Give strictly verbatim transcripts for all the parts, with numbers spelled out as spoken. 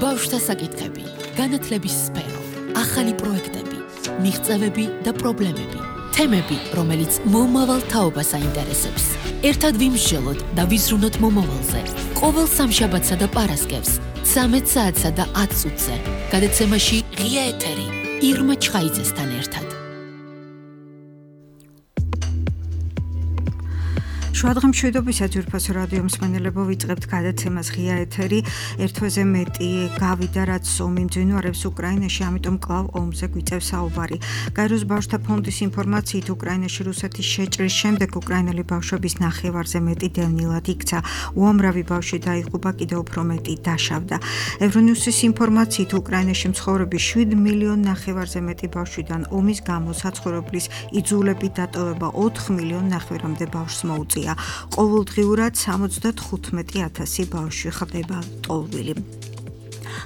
ბავშვთა საკითხები, განათლების სფერო, ახალი პროექტები, მიღწევები და პრობლემები, თემები, რომელიც მომავალ თაობას აინტერესებს. ერთად ვიმსჯელოთ და ვიზრუნოთ მომავალზე. ყოველ სამშაბათსა და პარასკევს, ცამეტ საათსა და ათ წუთზე, გადაცემაში ღია ეთერი, ირმა ჩხაიძესთან ერთად. შუადღე მშვიდობისა ძვირფასო რადიო მსმენელებო, ვიწყებთ გადაცემას ღია ეთერი. ერთ თვეზე მეტი გავიდა, რაც ომი მძვინვარებს უკრაინაში, ამიტომ კვლავ ომზე გვიწევს საუბარი. გაეროს ბავშვთა ფონდის ინფორმაციით, უკრაინაში რუსეთის შეჭრის შემდეგ უკრაინელი ბავშვების ნახევარზე მეტი დევნილად იქცა. უამრავი ბავშვი დაიღუპა, კიდევ უფრო მეტი დაშავდა. ევრონიუსის ინფორმაციით, უკრაინაში მცხოვრები შვიდ მილიონ ნახევარზე მეტი ბავშვიდან ომის გამო საცხოვრებლის იძულებით დატოვება ოთხ მილიონ ნახევრამდე ბავშვს მოუწია. ყოველდღიურად სამოცდათხუთმეტი ათასი ბავშვი ხდება ტოლვილი.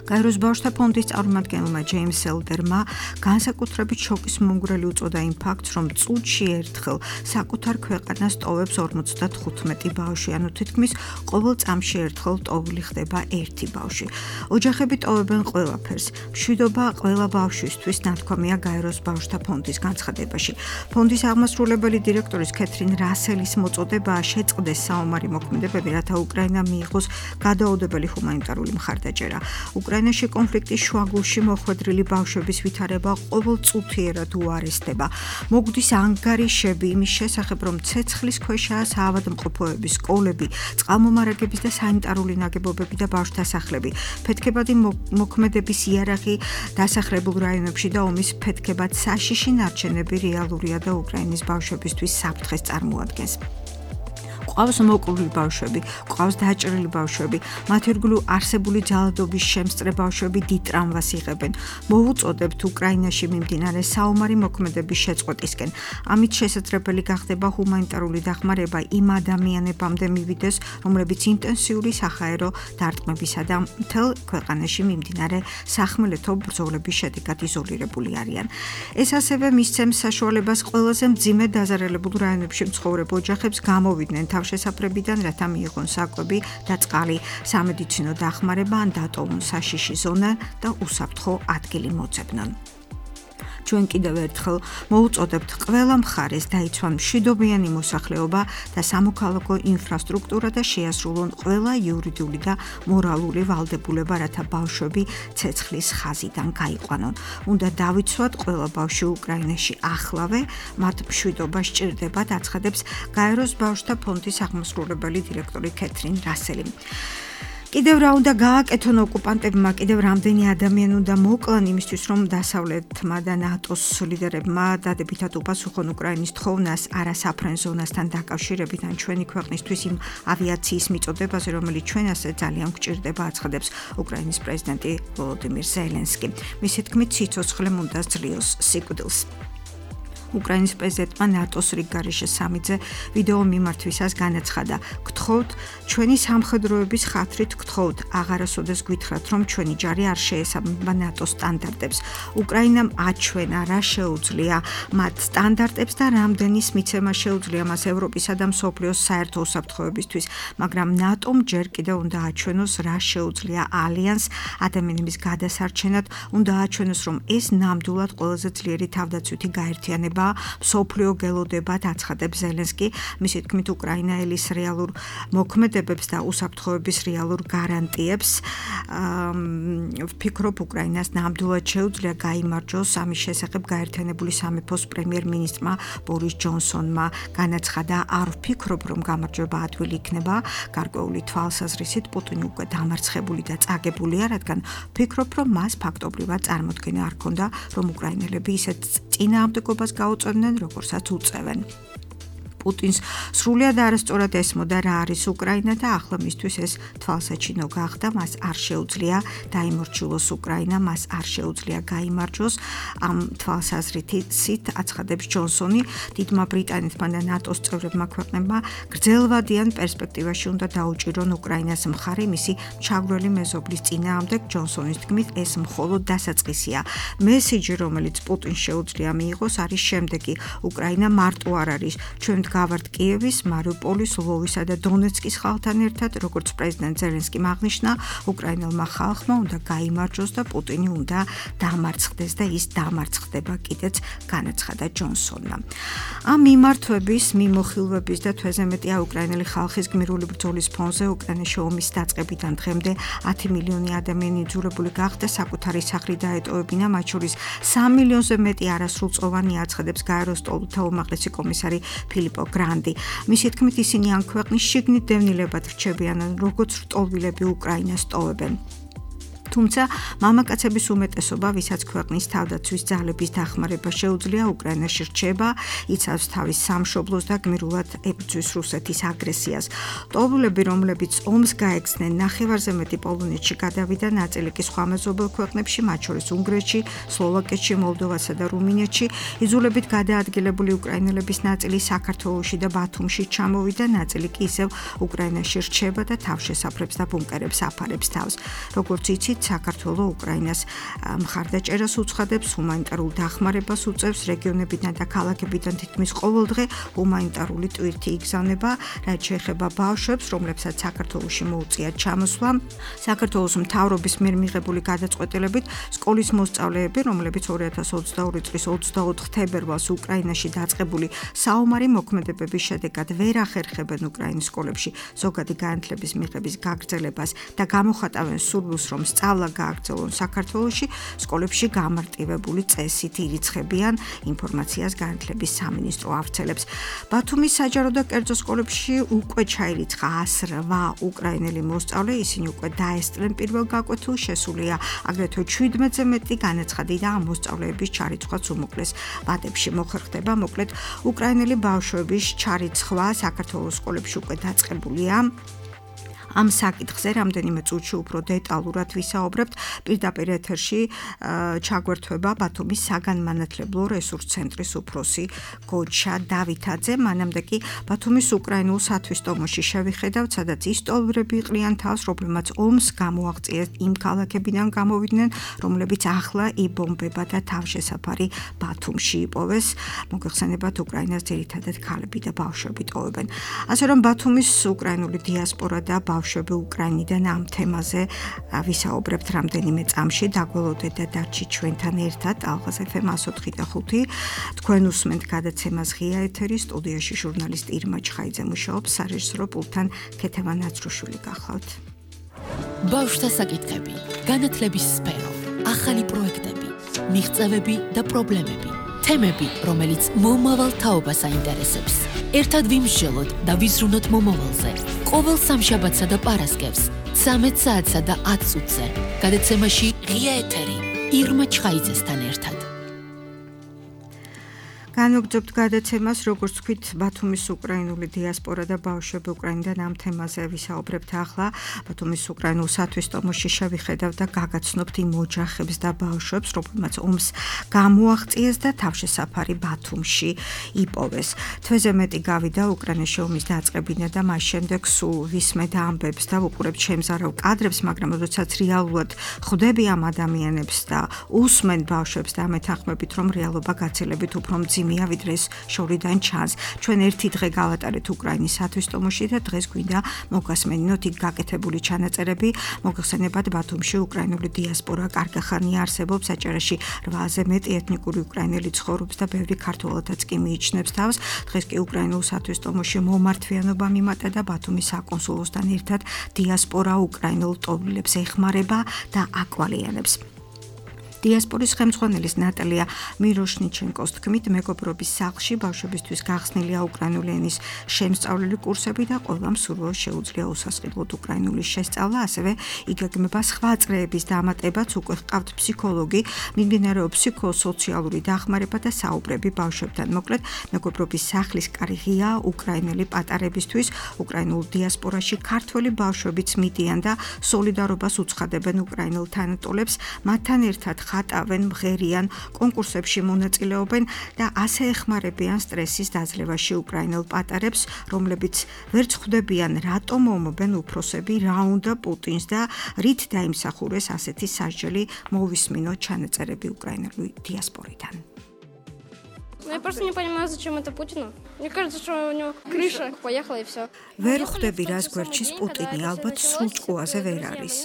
გაეროს ბავშვთა ფონდის წარმომადგენელმა ჯეიმს ელდერმა განსაკუთრებით შოკის მომგვრელი უწოდა იმ ფაქტს, რომ წუთში ერთხელ საკუთარ ქვეყანას ტოვებს ორმოცდათხუთმეტი ბავშვი, ანუ თითქმის ყოველ წამში ერთხელ ტოვილი ხდება ერთი ბავშვი. ოჯახები ტოვებენ ყველაფერს. მშვიდობა ყველა ბავშვისთვის, ნათქვამია გაეროს ბავშვთა ფონდის განცხადებაში. ფონდის აღმასრულებელი დირექტორის კეთრინ რასელის მოწოდებაა შეწყდეს საომარი მოქმედებები, რათა უკრაინა მიიღოს გადაუდებელი ჰუმანიტარული მხარდაჭერა. უკრაინაში კონფლიქტის შუაგულში მოხვედრილი ბავშვების ვითარება ყოველწუთიერად უარესდება. მოგვდის ანგარიშები იმის შესახებ, რომ ცეცხლის ქვეშაა საავადმყოფოების, სკოლები, წყალმომარაგების და სანიტარული ნაგებობები და ბავშვთა სახლები. ფეთქებადი მოქმედების იარაღი დასახლებულ რაიონებში და ომის ფეთქებად საშიში ნარჩენები რეალურია და უკრაინის ბავშვებისთვის საფრთხეს წარმოადგენს. ყავს მოკლული ბავშვები, ყავს დაჭრილი ბავშვები, მათ ირგვლივ არსებული ძალადობის შემსწრე ბავშვები დიდ ტრამვას იღებენ. მოვუწოდებთ უკრაინაში მიმდინარე საომარი მოქმედების შეწყვეტისკენ. ამით შესაძლებელი გახდება ჰუმანიტარული დახმარება იმ ადამიანებამდე მივიდეს, რომლებიც ინტენსიური საჰაერო დარტყმებისა და მთელ ქვეყანაში მიმდინარე სახმელეთო ბრძოლების შედეგად იზოლირებული არიან. ეს ასევე მისცემს საშუალებას ყველაზე მძიმე დაზარალებულ რაიონებში მცხოვრებ ოჯახებს გამოვიდნენ შესაფრებიდან, რათა მიიღონ საკვები და წყალი, სამედიცინო დახმარება ან დატოვონ საშიში ზონა და უსაფრთხო ადგილი მოძებნონ. ჩვენ კიდევ ერთხელ მოუწოდებთ ყველა მხარეს დაიცვან მშვიდობიანი მოსახლეობა და სამოქალაქო ინფრასტრუქტურა და შეასრულონ ყველა იურიდიული და მორალური ვალდებულება, რათა ბავშვები ცეცხლის ხაზიდან გაიყვანონ. უნდა დავიცვათ ყველა ბავშვი უკრაინაში ახლავე, მათ მშვიდობა სჭირდებათ, აცხადებს გაეროს ბავშვთა ფონდის აღმასრულებელი დირექტორი კეთრინ რასელი. კიდევ რა უნდა გააკეთონ ოკუპანტებმა, კიდევ რამდენი ადამიანი უნდა მოკლან იმისთვის, რომ დასავლეთმა და ნატოს ლიდერებმა დადებითად უპასუხონ უკრაინის თხოვნას არასაფრენ ზონასთან დაკავშირებით ან ჩვენი ქვეყნისთვის იმ ავიაციის მიწოდებაზე, რომელიც ჩვენ ასე ძალიან გვჭირდება, აცხადებს უკრაინის პრეზიდენტი ვოლოდიმირ ზელენსკი. მისი თქმით, სიცოცხლე უნდა ძლიოს სიკვდილს. უკრაინის პრეზიდენტმა ნატოს რიგგარეშე სამიძე ვიდეო მიმართვისას განაცხადა: გთხოვთ, ჩვენი სამხედროების ხათრით გთხოვთ, აღარასოდეს გვითხრათ, რომ ჩვენი ჯარი არ შეესაბამება ნატოს სტანდარტებს. უკრაინამ აჩვენა, რა შეუძლია მათ სტანდარტებს და რამდენის მიცემა შეუძლია მას ევროპისა და მსოფლიოს საერთო უსაფრთხოებისთვის, მაგრამ ნატომ ჯერ კიდევ უნდა აჩვენოს, რა შეუძლია ალიანს ადამიანების გადასარჩენად, უნდა აჩვენოს, რომ ეს ნამდვილად ყველაზე ძლიერი თავდაცვითი გაერთიანება მსოფლიო გელოდებად, აცხადებს ზელენსკი. მისი თქმით, უკრაინა ელის რეალურ მოქმედებებს და უსაფრთხოების რეალურ გარანტიებს. ვფიქრობ, უკრაინას ნამდვილად შეუძლია გაიმარჯვოს. ამის შესახებ გაერთიანებული სამეფოს პრემიერ-მინისტრმა ბორის ჯონსონმა განაცხადა: არ ვფიქრობ, რომ გამარჯვება ადვილი იქნება. გარკვეული თვალსაზრისით პუტინი უკვე დამარცხებული და წაგებულია, რადგან ვფიქრობ, რომ მას ფაქტობრივად წარმოქმნა არ ჰქონდა, რომ უკრაინელები ისეთ წინააღმდეგობას გაუწევდნენ, როგორცაც უწევენ. პუტინს სრულად არასწორად ესმოდა რა არის უკრაინა და ახლა მისთვის ეს თვალსაჩინო გახდა, მას არ შეუძლია დაიმორჩილოს უკრაინა, მას არ შეუძლია გაიმარჯვოს. ამ თვალსაზრისით აცხადებს ჯონსონი, დიდმა ბრიტანეთმა და ნატოს წევრებმა ქვეყნებმა გრძელვადიან პერსპექტივაში უნდა დაუჭირონ უკრაინას მხარი მისი ჩაგვრელი მეზობლის წინააღმდეგ. ჯონსონის თქმით, ეს მხოლოდ დასაწყისია. მესიჯი, რომელიც პუტინს შეუძლია მიიღოს, არის შემდეგი: უკრაინა მარტო არ არის, ჩვენ გავართ კიევის, მარიუპოლის, ლვოვისა და დონეცკის ხალხთან ერთად, როგორც პრეზიდენტ ზელენსკიმ აღნიშნა, უკრაინელმა ხალხმა უნდა გაიმარჯვოს და პუტინი უნდა დამარცხდეს და ის დამარცხდება კიდეც, განაცხადა ჯონსონმა. ამ მიმართვების, მიმოხილვების და თვეზე მეტია უკრაინელი ხალხის გმირული ბრძოლის ფონზე უკრაინაში ომის დაწყებიდან დღემდე ათი მილიონი ადამიანი იძულებული გახდა საკუთარი სახლი დაეტოვებინა, მათ შორის სამ მილიონზე მეტი არასრულწლოვანი აცხადებს გაეროს სტოლთა უმაღლესი კომისარი ფილიპო გრანდი. მისი თქმით, ისინი ამ ქვეყნის შიგნით დევნილებად რჩებიან, როგორც რტოლვილები უკრაინას ტოვებენ. თუმცა მამაკაცების უმეტესობა, ვისაც ქვეყნის თავდაცვის ძალების დახმარება შეუძლია, უკრაინაში რჩება, იცავს თავის სამშობლოს და გმირულად ებრძვის რუსეთის აგრესიას. ტოვულები, რომლებიც ომს გაეგზნენ, ნახევარზე მეტი პოლონეთში გადავიდა, ნაწილი კი სხვა მეზობელ ქვეყნებში, მათ შორის უნგრეთში, სლოვაკეთში, მოლდოვასა და რუმინეთში. იძულებით გადაადგილებული უკრაინელების ნაწილი საქართველოში და ბათუმში ჩამოვიდა, ნაწილი კი ისევ უკრაინაში რჩება და თავშესაფრებს და ბუნკერებს აფარებს თავს. როგორც იცით, საქართველო უკრაინას მხარდაჭერას უცხადებს, ჰუმანიტარულ დახმარებას უწევს, რეგიონებიდან და ქალაქებიდან თითქმის ყოველდღე ჰუმანიტარული ტვირთი იგზავნება, რაც შეეხება ბავშვებს, რომლებსაც საქართველოში მოუწიათ ჩამოსვლა. საქართველოს მთავრობის მიერ მიღებული გადაწყვეტილებით სკოლის მოსწავლეები, რომლებიც ორი ათას ოცდაორი წლის ოცდაოთხ თებერვალს უკრაინაში დაწყებული საომარი მოქმედებების შედეგად ვერ ახერხებენ უკრაინის სკოლებში ზოგადი განათლების მიღების გაგრძელებას და გამოხატავენ სურვილს, რომ სწავლა გააგრძელონ საქართველოში, სკოლებში გამარტივებული წესით ირიცხებიან, ინფორმაციას განათლების სამინისტრო ავრცელებს. ბათუმის საჯარო და კერძო სკოლებში უკვე ჩაირიცხა ას რვა უკრაინელი მოსწავლე, ისინი უკვე დაესწრნენ პირველ გაკვეთილს, შესულია აგრეთვე შვიდმეტზე მეტი განაცხადი და ამ მოსწავლეების ჩარიცხვაც უმოკლეს ვადებში მოხერხდება. მოკლედ, უკრაინელი ბავშვების ჩარიცხვა საქართველოს სკოლებში უკვე დაწყებულია. ამ საკითხზე რამდენიმე წუთში უფრო დეტალურად ვისაუბრებთ. პირდაპირ ეთერში ჩაგვერთვება ბათუმის საგანმანათლებლო რესურს ცენტრის უფროსი გოჩა დავითაძე. მანამდე კი ბათუმის უკრაინულ სათვისტომოში შევიხედავთ, სადაც ის ტოლვრები იყრიან თავს, რომლებმაც ომს გამოაღწიეს, იმ ქალაქებიდან გამოვიდნენ, რომლებიც ახლა იბომბება და თავშესაფარი ბათუმში იპოვეს. მოგეხსენებათ, უკრაინას ძირითადად ქალები და ბავშვები ტოვებენ. ასე რომ ბათუმის უკრაინული დიასპორა და ბავშვები უკრაინიდან ამ თემაზე ვისაუბრებთ რამდენიმე წამში. დაგველოდეთ და დარჩით ჩვენთან ერთად. ალღაზ ეფ ემ εκατო ოთხი და ხუთი. თქვენ უსმენთ გადაცემას ღია ეთერი, სტუდიაში ჟურნალისტი ირმა ჩხაიძე მუშაობს, სარეჟისორო პულტთან ქეთევა ნაცრუშვილი გახლავთ. ბავშვთა საკითხები, განათლების სფერო, ახალი პროექტები, მიღწევები და პრობლემები. თემები, რომელიც მომავალ თაობას აინტერესებს. ერთად ვიმსჯელოთ და ვიზრუნოთ მომავალზე. ყოველ სამშაბათსა და პარასკევს, ცამეტ საათსა და ათ წუთზე. გადაცემაში ღია ეთერი, ირმა ჩხაიძესთან ერთად. განვაგრძობთ გადაცემას, როგორც თქვით, ბათუმის უკრაინული დიასპორა და ბავშვები უკრაინიდან ამ თემაზე ვისაუბრებთ ახლა. ბათუმის უკრაინულ სათვისტომოში შევიხედავთ და გაგაცნობთ იმ ოჯახებს და ბავშვებს, რომლებმაც ომს გამოაღწიეს და თავშესაფარი ბათუმში იპოვეს. თვეზე მეტი გავიდა უკრაინაში ომის დაწყებიდან და მას შემდეგ სულ ვისმენთ ამბებს და ვუყურებთ შემზარავ კადრებს, მაგრამ როდესაც რეალურად ხვდები ამ ადამიანებს და უსმენ ბავშვებს და ამეთანხმებით, რომ რეალობა გაცილებით უფრო მძიმე ვიდრე ეს შორიდან ჩანს. ჩვენ ერთი დღე გავატარეთ უკრაინის სათვისტომოში და დღეს გვინდა მოგასმენინოთ იქ გაკეთებული ჩანაწერები. მოგხსენებათ, ბათუმში უკრაინული დიასპორა კარგი ხანია არსებობს, აჭარაში რვაზე მეტი ეთნიკური უკრაინელი ცხოვრობს და ბევრი ქართველთაც კი მიიჩნევს თავს. დღეს კი უკრაინულ სათვისტომოში მომართვიანობა მიმატა და ბათუმის საკონსულოსთან ერთად დიასპორა უკრაინულ ტოვლებს ეხმარება და აკვალიანებს. დიასპორის ხელმძღვანელის ნატალია მიროშნიჩენკოს თქმით, მეგობრობის სახლში ბავშვებისთვის გახსნილია უკრაინული ენის შემსწავლელი კურსები და ყველა მსურველს შეუძლია უსასყიდლოდ უკრაინულის შესწავლა, ასევე იგეგმება სხვა წრეების დამატებაც, უკვე ჰყავთ ფსიქოლოგი, მიმდინარეობს ფსიქოსოციალური დახმარება და საუბრები ბავშვებთან. მოკლედ, მეგობრობის სახლის კარი ღია უკრაინელი პატარებისთვის, უკრაინულ დიასპორაში ქართველი ბავშვებიც მიდიან და სოლიდარობას უცხადებენ უკრაინელ თანატოლებს, მათთან ერთად ხატავენ, მღერიან, კონკურსებში მონაწილეობენ და ასე ეხმარებიან სტრესის დაძლევაში უკრაინელ პატარებს, რომლებიც ვერც ხვდებიან, რატომ ომობენ უფროსები, რა უნდა პუტინს და რით დაიმსახურეს ასეთი სასჯელი. მოვისმინოთ ჩანაწერები უკრაინული დიასპორიდან. Я просто не понимаю, зачем это Путину. Мне кажется, что у него крыша поехала и все. ვერ ხვდები რას გვერდჩის პუტინი, ალბათ სულ ჭკუაზე ვერ არის.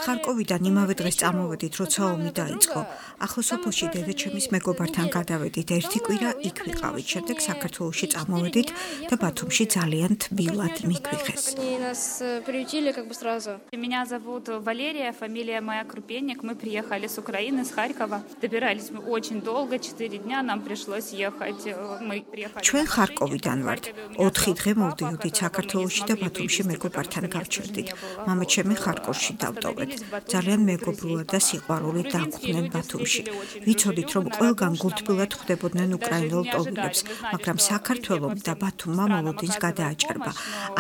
ხარკოვიდან იმავე დღეს წამოვედით, როცა ომი დაიწყო. ახლა სოფელში დედაჩემის მეგობართან გადავედით, ერთი კვირა იქ ვიყავით, შემდეგ საქართველოში წამოვედით და ბათუმში ძალიან თბილად მიგვიღეს. Они нас приютили как бы сразу. Меня зовут Валерия, фамилия моя Крупенник. Мы приехали с Украины, с Харькова. Добирались мы очень долго, четыре дня нам пришлось ехать. Мы приехали. ჩვენ ხარკოვიდან ვართ. ოთხი დღე მოვდიოდით საქართველოში და ბათუმში მეგობართან გავჩერდით. მამაჩემი ხარკოვში დავტოვეთ. ძალიან მეგობრულად და სიყვარულით დაგვხვდნენ ბათუმში. ვიცოდით, რომ ყველგან გულთბილად ხვდებოდნენ უკრაინელ ტოვილებს, მაგრამ საქართველოს და ბათუმმა მოლოდინს გადააჭარბა.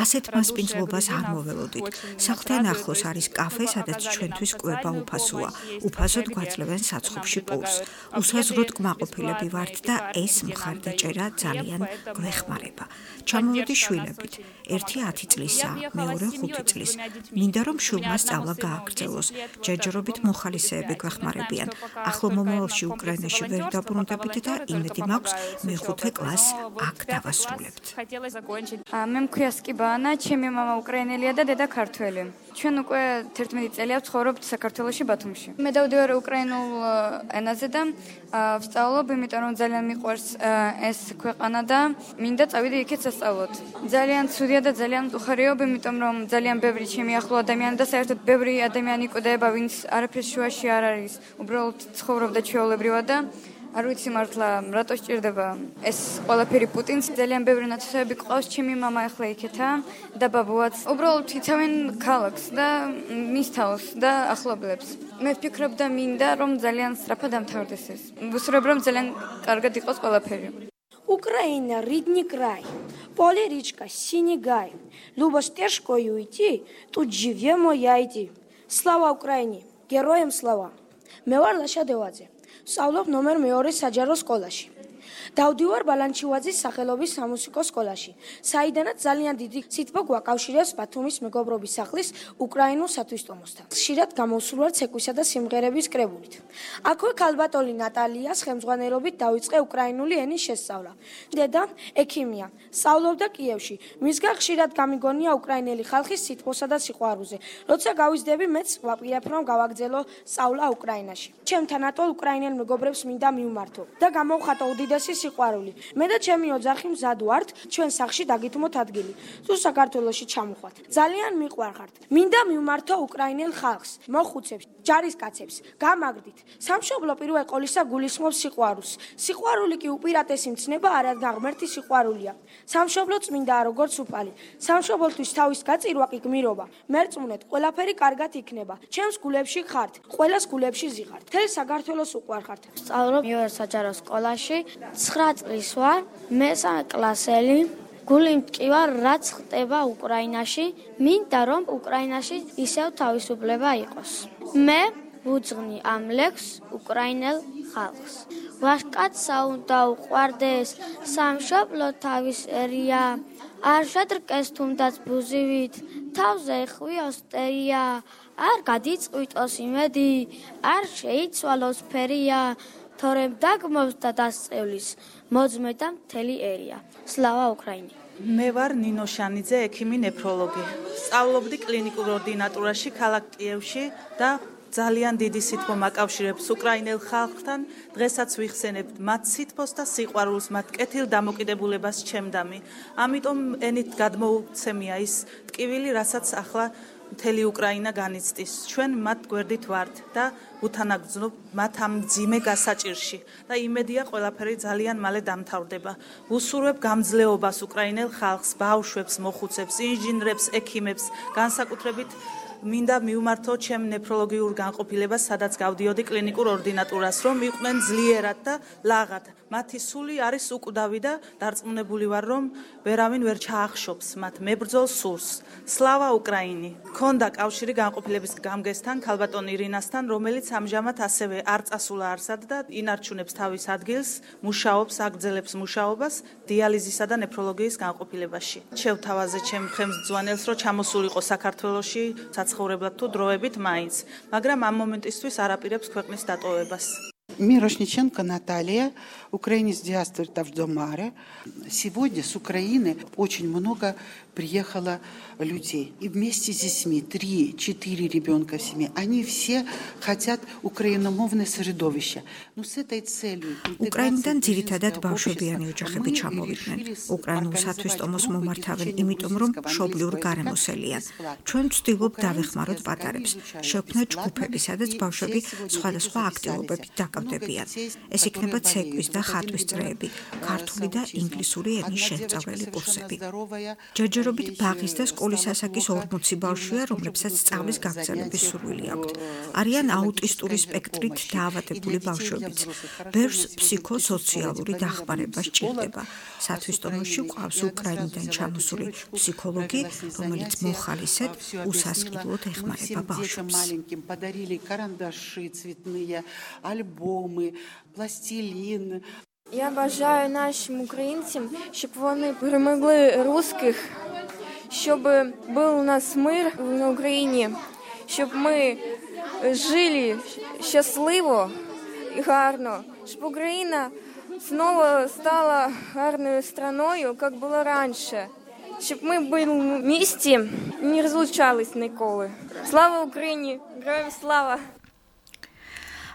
ასეთ მასპინძლობას არ მოველოდით. სახლთან ახლოს არის კაფე, სადაც ჩვენთვის კვება უფასოა. უფასოდ გვაძლევენ საცხობში პურს. უსაზღვროდ კმაყოფილები ვართ და ეს მხარდაჭერა ძალიან გვეხმარება. ჩამოვედი შვილებით. ერთი ათი წლისაა, მეორე ხუთი წლის. მინდა რომ შვილმა სწავლა გააგრძელოს. ჯერჯერობით მოხალისეები გვეხმარებიან. ახლო მომავალში უკრაინაში ვერ დაბრუნდებით და იმედი მაქვს მეხუთე კლასს აქ დავასრულებთ. მე მქვია სკიბანა, ჩემი მამა უკრაინელია და დედა ქართველი. ჩვენ უკვე თერთმეტი წელია ვცხოვრობთ საქართველოში ბათუმში. მე დავდივარ უკრაინულ ენაზე და ვსწავლობ, იმიტომ რომ ძალიან მიყვარს ეს ქვეყანა და მინდა წავიდე იქეთ სასწავლოდ. ძალიან ცუდია და ძალიან უხარიობ, იმიტომ რომ ძალიან ბევრი ჩემი ახლო ადამიანი და საერთოდ ბევრი ადამიანი კვდება, ვინც არაფრის შუაში არ არის, უბრალოდ ცხოვრობდა ჩვეულებრივად და არ ვიცი მართლა რატო სჭირდება ეს ყველაფერი პუტინს. ძალიან ბევრი ნაცნობები ყავს, ჩემი მამა ახლა იქეთა და ბაბუაც. უბრალოდ იცავენ ქალაქს და მის თავს და ახლობლებს. მე ვფიქრობ და მინდა რომ ძალიან სწრაფად დამთავრდეს ეს. ვუსურვებ რომ ძალიან კარგად იყოს ყველაფერი. Украина, родной край, поле речка, синий гай. Люба стежкой уйти, тут живем моя иди. Слава Украине, героям слава. მე ვარ ლაშა დევაძე. ვსწავლობ ნომერ მეორე საჯარო სკოლაში. დავდივარ ბალანჩივაძის სახელობის სამუსიკო სკოლაში, საიდანაც ძალიან დიდი სიტყვა გვაკავშირებს ბათუმის მეგობრობის სახლის უკრაინულ სათვისტომოსთან. ხშირად გამოვსურვარ ცეკვისა და სიმღერების კრებულით. აქვე ქალბატონი ნატალიას ხელმძღვანელობით დავიწყე უკრაინული ენის შესწავლა. დედა ექიმია, სწავლობდა კიევში. მისგან ხშირად გამიგონია უკრაინელი ხალხის სიტყვასა და სიყვარულზე. როცა გავიზრდები, მეც ვაპირებ რომ გავაგრძელო სწავლა უკრაინაში. ჩემთან ატოლ უკრაინელ მეგობრებს მინდა მივმართო და გამოვხატო უდიდესი სიყვარული. მე და ჩემი ოჯახი მზად ვართ ჩვენ სახლში დაგითმოთ ადგილი. თუ საქართველოში ჩამოხვათ. ძალიან მიყვარხართ. მინდა მივმართო უკრაინელ ხალხს, მოხუცებს, ჯარისკაცებს, გამაგრდით. სამშობლო პირველ ყოლისა გულისხმობს სიყვარულს. სიყვარული კი უპირატესი მცნება არადგან ღმერთის სიყვარულია. სამშობლო წმინდა როგორც უფალი. სამშობლოთვის თავის გაწირვა კი გმირობა. მერწმუნეთ, ყველაფერი კარგად იქნება. ჩემს გულებში ხართ, ყველას გულებში ზიღართ. თელ საქართველოს უყვარხართ. სწავლობ მეორე საჯარო სკოლაში. ცხრა წლის ვარ, მესამე კლასელი. გული მტკივა, რაც ხდება უკრაინაში, მინდა რომ უკრაინაში ისევ თავისუფლება იყოს. მე ვუძღვნი ამ ლექსს უკრაინელ ხალხს. ვაშკაცსა უნდა უყვარდეს, სამშობლო თავის ერია, არ შედრკეს თუნდაც ბუზივით, თავზე ხვიოს ტერია, არ გადიწყვიტოს იმედი, არ შეიცვალოს ფერია. თორემ დაგმობს და დასწევლის, მოძმე და მთელი ერია. სლავა უკრაინი. მე ვარ ნინო შანიძე, ექიმი ნეფროლოგი. სწავლობდი კლინიკურ ორდინატურაში ქალაქ კიევში და ძალიან დიდი სითბო მაკავშირებს უკრაინელ ხალხთან. დღესაც ვიხსენებთ მათ სითბოს და სიყვარულს, მათ კეთილ დამოკიდებულებას ჩემდამი. ამიტომ ენით გადმოუცემია ის ტკივილი, რასაც ახლა მთელი უკრაინა განიცდის. ჩვენ მათ გვერდით ვართ და უთანაგრძნობ მათ ამ მძიმე გასაჭირში და იმედია ყველაფერი ძალიან მალე დამთავრდება. ვუსურვებ გამძლეობას უკრაინელ ხალხს, ბავშვებს, მოხუცებს, ინჟინრებს, ექიმებს, განსაკუთრებით მინდა მივმართო ჩემ ნეფროლოგიურ განყოფილებას, სადაც გავდიოდი კლინიკურ ორდინატურას, რომ იყვნენ ძლიერად და ლაღად. მათი სული არის უკვდავი და დარწმუნებული ვარ, რომ ვერავინ ვერ ჩაახშობს მათ მებრძოლ სულს. სლავა უკრაინი. ქონდა კავშირი განყოფილების გამგესთან, ქალბატონ ირინასთან, რომელიც ამჟამად ასევე არ წასულა არსად და ინარჩუნებს თავის ადგილს, მუშაობს, აგრძელებს მუშაობას დიალიზისა და ნეფროლოგიის განყოფილებაში. შევთავაზე ჩემ ხელმძღვანელს, რომ ჩამოსულიყო საქართველოში საცხოვრებლად თუ დროებით მაინც, მაგრამ ამ მომენტისთვის არ აპირებს ქვეყნის დატოვებას. Мирошниченко Наталья, украинец диаспоры Тавдомара. Сегодня с Украины очень много приехало людей. И вместе с детьми, три-четыре ребенка в семье, они все хотят украиномовное средовище. Но с этой целью... უკრაინიდან ძირითადად ბავშვებიანი ოჯახები ჩამოვიდნენ. უკრაინულსათვის ტომოს მომართავენ, იმიტომ რომ მშობლიურ გარემოსელიან. ჩვენ ვცდილობ დავეხმაროთ პატარებს. შექმნათ ჯგუფები, სადაც ბავშვები სხვადასხვა აქტივობებით დაკავდებიან. ეს იქნება ცეკვის და ხატვის წრეები, ქართული და ინგლისური ენის შესწავლელი კურსები. ჯერჯერობით ბაღის და სკოლის ასაკის ორმოცი ბავშვია, რომლებსაც სწავლის გაგრძელების სურვილი აქვთ. არიან აუტისტური სპექტრით დაავადებული ბავშვებიც. ბერს ფსიქოსოციალური დახმარება სჭირდება. სათვისტომოში ყავს უკრაინიდან ჩამოსული ფსიქოლოგი, რომელიც მოხალისედ უსასყიდლოდ ეხმარება ბავშვებს. Я бажаю нашим українцям, щоб вони перемогли русських, щоб був у нас мир на Україні, щоб ми жили щасливо і гарно, щоб Україна знову стала гарною страною, як було раніше, щоб ми були в місті і не розлучались ніколи. Слава Україні! Героям слава!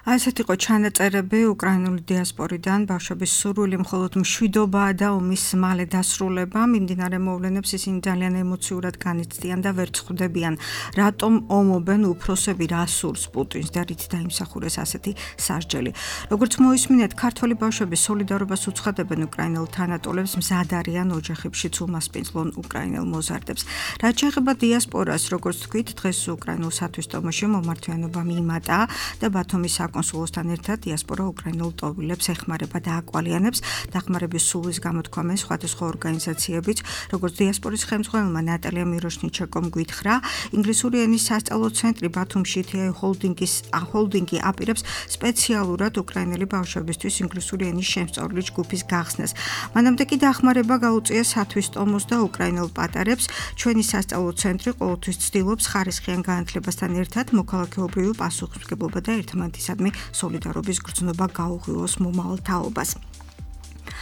ასეთ იყო ჩანაწერები უკრაინული დიასპორიდან ბავშვების სურვილი მხოლოდ მშვიდობაა და ომის მალე დასრულება მიმდინარე მოვლენებს ისინი ძალიან ემოციურად განიცდიან და ვერ წხვდებიან რატომ ომობენ უფროსები რა სურს პუტინს და რით დაიმსახურეს ასეთი სასჯელი როგორც მოისმინეთ ქართველი ბავშვები სოლიდარობას უცხადებენ უკრაინელ თანატოლებს მზად არიან ოჯახებშიც უმასპინძლონ უკრაინელ მოზარდებს რაც შეეხება დიასპორას როგორც თქვით დღეს უკრაინულ სათვისტომოში მომართვიანობა მიიმატა და ბათუმის კონსულოსთან ერთად დიასპორა უკრაინულ ტოვილებს ეხმარება და აკვალიანებს დახმარების სულის გამოთქვამენ სხვადასხვა ორგანიზაციებიც როგორც დიასპორის ხელმძღვანელმა ნატალია მიროშნიჩენკომ გითხრა ინგლისური ენის სასწავლო ცენტრი ბათუმში თი აი ჰოლდინგის ჰოლდინგი აპირებს სპეციალურად უკრაინელი ბავშვებისთვის ინგლისური ენის შემსწავლელი ჯგუფის გახსნას მანამდე კი დახმარება გაუწია სათვისტომოს და უკრაინელ პატარებს ჩვენი სასწავლო ცენტრი ყოველთვის ცდილობს ხარისხიან განათლებასთან ერთად მოქალაქეობრივი პასუხისმგებლობა და ერთმანეთისადმი სოლიდარობის გრძნობა გაუღვივოს მომავალ თაობას.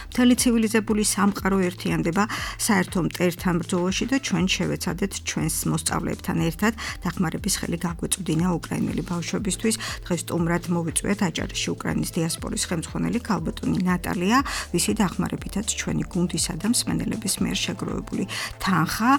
მთელი ცივილიზებული სამყარო ერთიანდება საერთო მტერთან ბრძოლაში და ჩვენ შევეცადეთ ჩვენს მოსწავლეებთან ერთად დახმარების ხელი გაგვეწვდინა უკრაინელი ბავშვებისთვის. დღეს სტუმრად მოვიწვიეთ აჭარაში უკრაინის დიასპორის ხელმძღვანელი ქალბატონი ნატალია, ვისი დახმარებითაც ჩვენი გუნდისა და მსმენელების მიერ შეგროვებული თანხა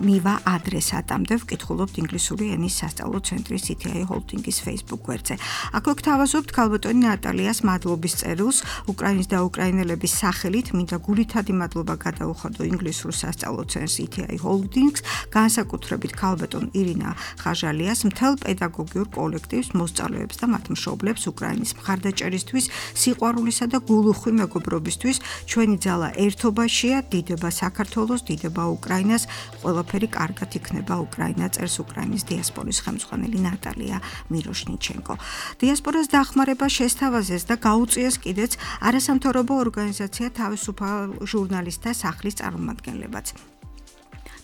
მივა ადრესატამდე ვკითხულობთ ინგლისური ენის სასწავლო ცენტრის სი თი აი ჰოლდინგის Facebook გვერდზე. აქ ვგთავაზობთ ქალბატონი ნატალიას მადლობის წერილს უკრაინის და უკრაინელების სახელით მინდა გულითადი მადლობა გადაუხადო ინგლისურ სასწავლო ცენტრს სი თი აი ჰოლდინგს, განსაკუთრებით ქალბატონ ირინა ხაჟალიას, მთელ პედაგოგიურ კოლექტივს, მოსწავლეებს და მათ მშობლებს უკრაინის მხარდაჭერისთვის, სიყვარულისა და გულუხვი მეგობრობისთვის. ჩვენი ძალა ერთობაშია, დიდება საქართველოს, დიდება უკრაინას, ყველაფერი კარგად იქნება უკრაინა, წერს უკრაინის დიასპორის ხელმძღვანელი ნატალია მიროშნიჩენკო. დიასპორას დახმარება შესთავაზეს და გაუწიეს კიდეც არასამთავრობო ორგანიზაცია თავისუფალ ჟურნალისტთა სახლის წარმომადგენლებაც.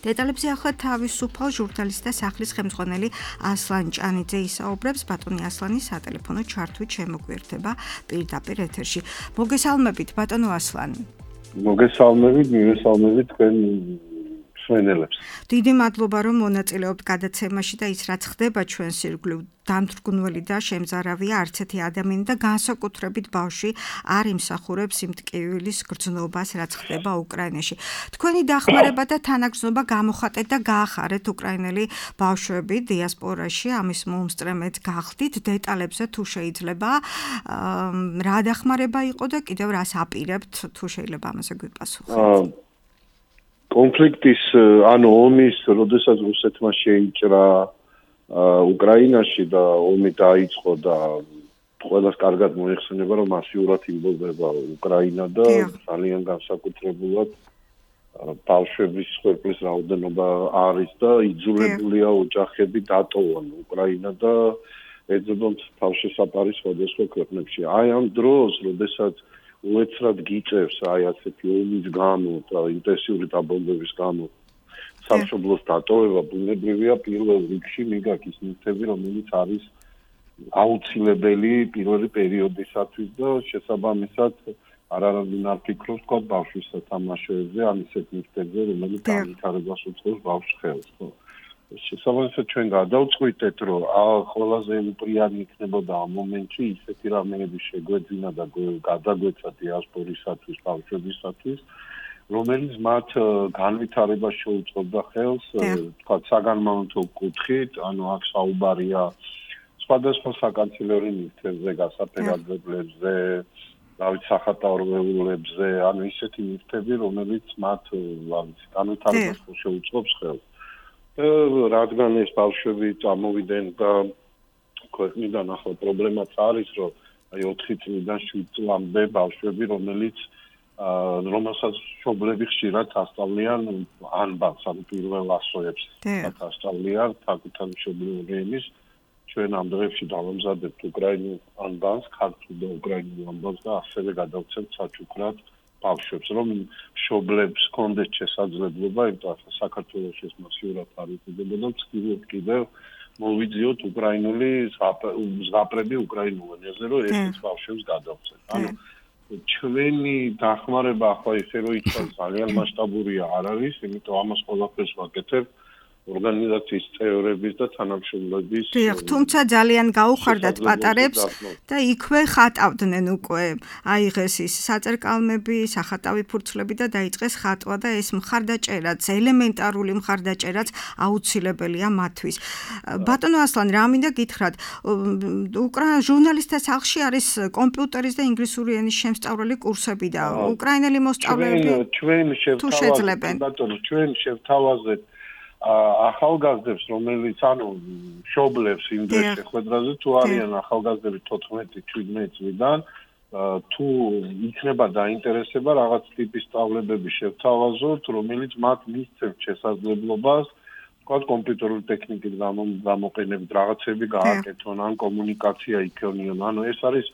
დეტალებზე ახლა თავისუფალ ჟურნალისტთა სახლის ხელმძღვანელი ასლან ჭანიძე ისაუბრებს ბატონი ასლანი სატელეფონო ჩართვით შემოგვიერთება პირდაპირ ეთერში. მოგესალმებით ბატონო ასლანი. მოგესალმებით, მივესალმებით თქვენ მსმენელებს. დიდი მადლობა რომ მონაწილეობთ გადაცემაში და ის რაც ხდება ჩვენს ირგვლივ დამთრგუნველი და შემზარავია არც ერთი ადამიანი და განსაკუთრებით ბავშვი არ იმსახურებს იმ ტკივილის გრძნობას რაც ხდება უკრაინაში. თქვენი დახმარება და თანაგრძნობა გამოხატეთ და გაახარეთ უკრაინელი ბავშვები დიასპორაში ამის მომსწრემეც გახდით დეტალებზე თუ შეიძლება რა დახმარება იყო და კიდევ რას აპირებთ თუ შეიძლება ამაზე გვიპასუხოთ. კონფლიქტის ანუ ომის როდესაც რუსეთმა შეიჭრა უკრაინაში და ომი დაიწყო და ყველას კარგად მოიხსენება რომ მასიურად იმბობება უკრაინა და ძალიან განსაკუთრებულად ბავშვების ხერხის რაოდენობა არის და იძულებულია ოჯახები დატოვონ უკრაინა და ეძებონ თავშესაფარი სხვადასხვა ქვეყნებში. აი ამ დროს როდესაც უეცრად გიწევს აი ასეთი ომის გამო და ინტენსიური დაბომბების გამო სამშობლოს დატოვება ბუნებრივია პირველ რიგში მიგაკის ნივთები რომელიც არის აუცილებელი პირველი პერიოდისათვის და შესაბამისად არ არ ფიქრობს თქვა ბავშვის სათამაშოებზე, ან ისეთ ნივთებზე, რომელიც განვითარებას უწყობს ბავშვს ხელს, ხო? შესაბამისად ჩვენ გადავწყვიტეთ, რომ ყველაზე უპრიანი იქნებოდა ამ მომენტში ისეთი რამეები შეგვეძინა და გადაგვეცა დიასპორისათვის, ბავშვებისათვის, რომელიც მათ განვითარებას შეუწყობდა ხელს, თქვა საგანმანათლებლო კუთხით, ანუ აქ საუბარია სხვადასხვა საკანცელერო ნივთებზე, გასაფერადებლებზე, დავით სახატავრულებზე, ანუ ისეთი ნივთები, რომელიც მათ განვითარებას შეუწყობს ხელს. რადგან ეს ბავშვები წამოვიდნენ და ქვეყნიდან ახლა პრობლემაც არის, რომ აი ოთხი წლიდან შვიდ წლამდე ბავშვები, რომელიც რომელსაც მშობლები ხშირად ასწავლიან ანბანს, ანუ პირველ ასოებს ასწავლიან თაკუთან მშობლიური ენის, ჩვენ ამ დღეებში დავამზადებთ უკრაინულ ანბანს, ქართულ და უკრაინულ ანბანს და ასევე გადავცემთ საჩუქრად ბავშვებს, რომ მშობლებს ჰქონდეთ შესაძლებლობა, იმიტომ რომ საქართველოში ეს მასიურად არ იკეთებოდა, ვცდილობთ კიდევ მოვიძიოთ უკრაინული ზღაპრები უკრაინულ ენაზე, რომ ესეც ბავშვებს გადავცემთ. ანუ ჩვენი დახმარება ახლა ისე რომ იცი ძალიან მასშტაბურია არ არის, იმიტომ ამას ყველაფერს ვაკეთებ ორგანიზაციის წევრების და თანამშრომლების. დიახ, თუმცა ძალიან გაუხარდათ პატარებს და იქვე ხატავდნენ უკვე. აიღეს ის საწერკალმები, სახატავი ფურცლები და დაიწყეს ხატვა და ეს მხარდაჭერაც, ელემენტარული მხარდაჭერაც აუცილებელია მათთვის. ბატონო ასლან, რა მინდა გითხრათ, უკრაინა ჟურნალისტთა სახლში არის კომპიუტერის და ინგლისური ენის შემსწავლელი კურსები და უკრაინელი მოსწავლეები ჩვენ თუ შეძლებენ. ბატონო, ჩვენ შევთავაზეთ ახალგაზრდებს, რომელიც ანუ მშობლებს იმ დღეს შეხვედრაზე თუ არიან ახალგაზრდები თოთხმეტი შვიდმეტი წლიდან, თუ იქნება დაინტერესება რაღაც ტიპის სწავლებები შევთავაზოთ, რომელიც მათ მისცემს შესაძლებლობას, თქვათ კომპიუტერული ტექნიკის გამოყენებით რაღაცები გააკეთონ, ან კომუნიკაცია იქონიონ. ანუ ეს არის